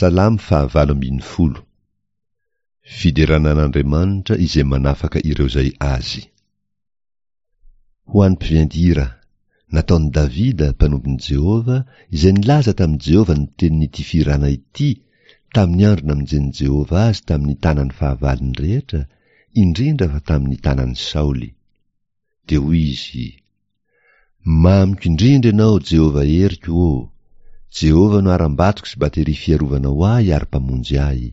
Salamo fahavalo ambin'ny folo. Fiderana an'Andriamanitra izay manafaka ireo izay Azy. Ho an'ny mpiventy hira, nataon'i Davida, mpanompon'i Jehovah, izay nilaza tamin'i Jehovah ny tenin'ity fihirana ity, tamin'ny andro namonjen'i Jehovah azy tamin'ny tanan'ny fahavalony rehetra, indrindra fa tamin'ny tanan'i Saoly. Dia hoy izy, Mamiko indrindra ianao, Jehovah heriko ô! Jehovah no harambatoko sy bateria fiarovana ho ahy ary mpamonjy ahy.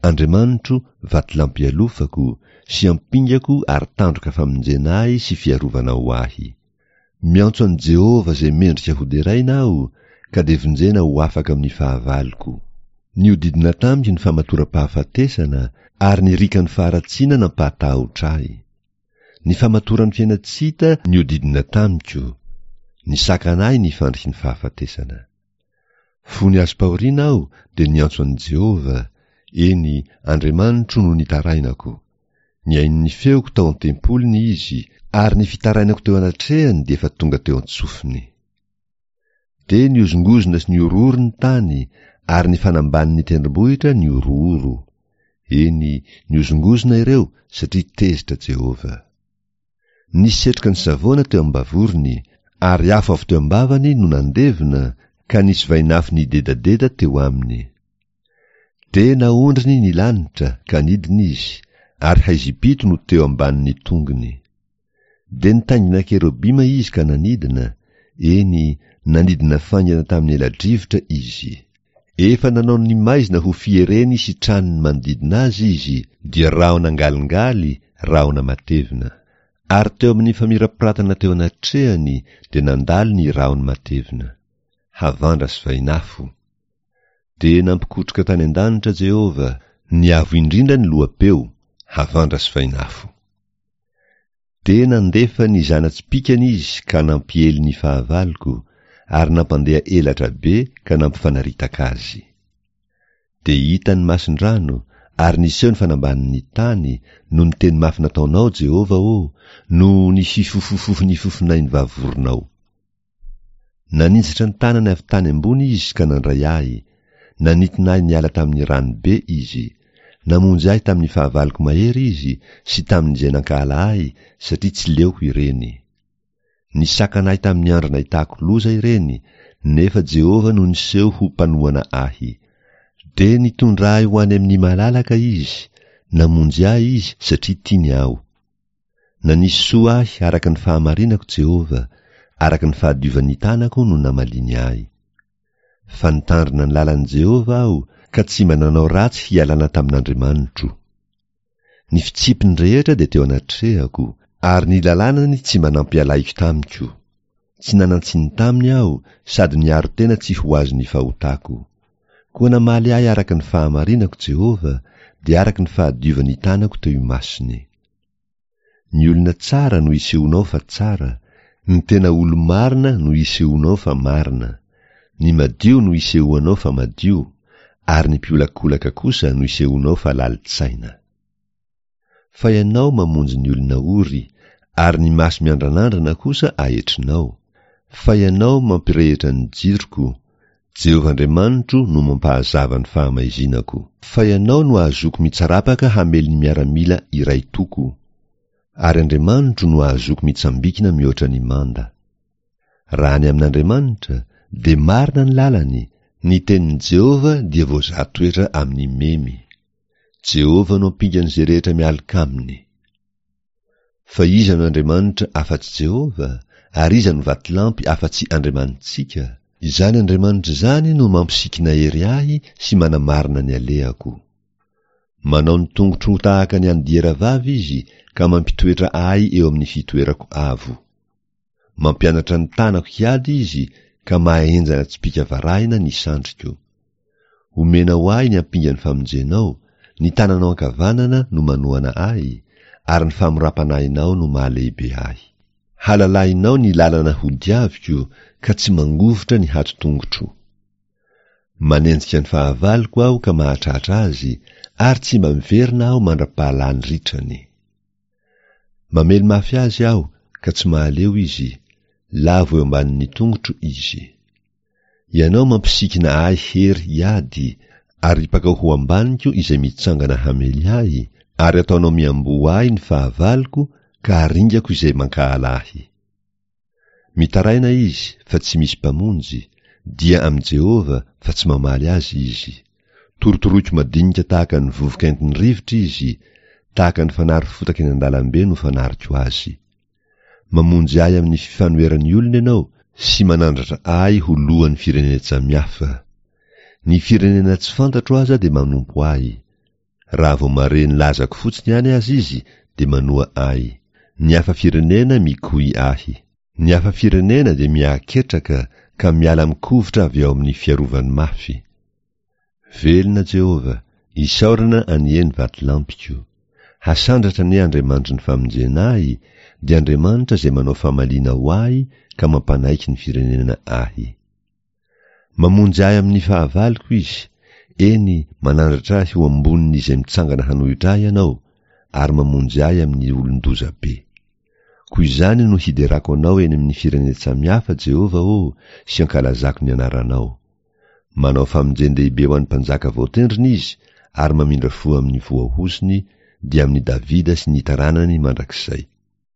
Andriamanitro, vatolampy ialofako, sy ampingako ary tandroka famonjena ahy sy fiarovana ho ahy. Miantso an'i Jehovah izay mendrika hoderaina aho, ka dia vonjena ho afaka amin'ny fahavaloko. Nihodidina tamiko ny famatoram-pahafatesana, ary ny rikan'ny faharatsiana nampahatahotra ahy. Ny famatoran'ny fiainan-tsy hita nihodidina tamiko, nisakana ahy ny fandriky ny fahafatesana. Fony azom-pahoriana aho dia niantso an'i Jehovah, eny, Andriamanitro no nitarainako. Nihaino ny feoko tao an-tempoliny Izy, ary ny fitarainako teo anatrehany dia efa tonga teo an-tsofiny. Dia nihozongozona sy nihorohoro ny tany, ary ny fanambanin'ny tendrombohitra nihorohoro. Eny, nihozongozona ireo, satria tezitra Jehovah. Nisy setroka nisavoana teo am-bavorony, ary afo avy teo am-bavany no nandevona, ka nisy vainafo nidedadeda teo aminy. Dia naondriny ny lanitra, ka nidina izy, ary haizim-pito no teo ambanin'ny tongony. Dia nitaingina kerobima izy ka nanidina, eny, nanidina faingana tamin'ny ela-drivotra izy. Efa nanao ny maizina ho fiereny sy tranony manodidina azy izy, dia rahona angalingaly, rahona matevina. Ary teo amin'ny famirapiratana teo anatrehany dia nandalo ny rahony matevina. Havandra sy vainafo. Dia nampikotroka tany an-danitra Jehovah, ny Avo Indrindra ny loha-peo, havandra sy vainafo. Dia nandefa ny zana-tsipìkany izy ka nampiely ny fahavaloko, ary nampandeha elatra be ka nampifanaritaka azy. Dia hita ny mason-drano, ary niseho ny fanambanin'ny tany, noho ny teny mafy nataonao, Jehovah ô, noho ny fifofofofon'ny fofonain'ny vavoronao. Naninjitra ny tanany avy tany ambony izy ka nandray ahy, nanintona ahy niala tamin'ny rano be izy. Namonjy ahy tamin'ny fahavaloko mahery izy sy tamin'izay nankahala ahy satria tsy leoko ireny. Nisakana ahy tamin'ny andro nahitako loza ireny, nefa Jehovah no niseho ho mpanohana ahy. Dia nitondra ahy ho any amin'ny malalaka izy, namonjy ahy izy satria tiany aho. Nanisy soa ahy araka ny fahamarinako Jehovah, araka ny fahadiovan'ny tanako no namaliany ahy. Fa nitandrina ny lalan'i Jehovah aho, ka tsy mba nanao ratsy hialana tamin'Andriamanitro. Ny fitsipiny rehetra dia teo anatrehako, ary ny lalànany tsy mba nampialaiko tamiko. Tsy nanan-tsiny taminy aho, sady niaro tena tsy ho azon'ny fahotako. Koa namaly ahy araka ny fahamarinako Jehovah, dia araka ny fahadiovan'ny tanako teo imasony. Ny olona tsara no isehoanao fa tsara, ny tena olo-marina no isehoanao fa marina, ny madio no isehoanao fa madio, ary ny mpiolakolaka kosa no isehoanao fa lalin-tsaina. Fa ianao mamonjy ny olona ory, ary ny maso miandranandrana kosa ahetrinao. Fa ianao mampirehitra ny jiroko, Jehovah Andriamanitro no mampahazava ny fahamaizinako. Fa ianao no ahazoako mitsarapaka hamely ny miaramila iray toko, ary Andriamanitro no ahazoako mitsambikina mihoatra ny manda. Raha ny amin'Andriamanitra, dia marina ny lalany, ny tenin'i Jehovah dia voazaha toetra amin'ny memy. Jehovah no ampingan'izay rehetra mialoka aminy. Fa iza no Andriamanitra afa-tsy Jehovah? Ary iza no vatolampy afa-tsy Andriamanitsika? Izany Andriamanitra izany no mampisikina hery ahy sy manamarina ny alehako. Manao ny tongotro ho tahaka ny an'ny dieravavy Izy ka mampitoetra ahy eo amin'ny fitoerako avo. Mampianatra ny tanako hiady izy ka mahahenjana tsipìka varahina ny sandriko. Omena ho ahy ny ampingan'ny famonjenao, ny tananao ankavanana no manohana ahy, ary ny famoram-panahinao no mahalehibe ahy. Halalahinao ny lalana hodiaviko ka tsy mangovitra ny hato-tongotro. Manenjika ny fahavaloko aho ka mahatratra azy, ary tsy mba miverina aho mandra-pahalany ritrany. Mamely mafy azy aho ka tsy mahaleo izy, lavo eo ambanin'ny tongotro izy. Ianao mampisikina ahy hery hiady, Aripakao ho ambaniko izay mitsangana hamely ahy, ary ataonao miamboho ahy ny fahavaloko ka aringako izay mankahala ahy. Mitaraina izy fa tsy misy mpamonjy, dia amin'i Jehovah fa tsy mamaly azy izy. Torotoroiko madinika tahaka ny vovoka entin'ny rivotra izy, tahaka ny fanary fotaka eny an-dalambe no fanariko azy. Mamonjy ahy amin'ny fifanoheran'ny olona ianao sy manandratra ahy ho lohan'ny firenen-tsamihafa. Ny firenena tsy fantatro aza dia manompo ahy. Raha vao mahare ny lazako fotsiny ihany aza izy dia manoa ahy. Ny hafa firenena mikoy ahy. Ny hafa firenena dia miahaketraka ka miala mikovitra avy ao amin'ny fiarovany mafy. Velona Jehovah, isaorana anie ny vatolampiko. Hasandratra anie Andriamanitry ny famonjena ahy, dia Andriamanitra izay manao famaliana ho ahy ka mampanaiky ny firenena ahy. Mamonjy ahy amin'ny fahavaloko Izy, eny, manandratra ahy ho ambonin'izay mitsangana hanohitra ahy Ianao, ary mamonjy ahy amin'ny olon-doza be. Koa izany no hiderako Anao eny amin'ny firenen-tsamihafa, Jehovah ô, sy ankalazako ny anaranao. Manao famonjen-dehibe ho an'ny mpanjaka voatendriny izy ary mamindra fo amin'ny voahozony, dia amin'i Davida sy ny taranany mandrakizay.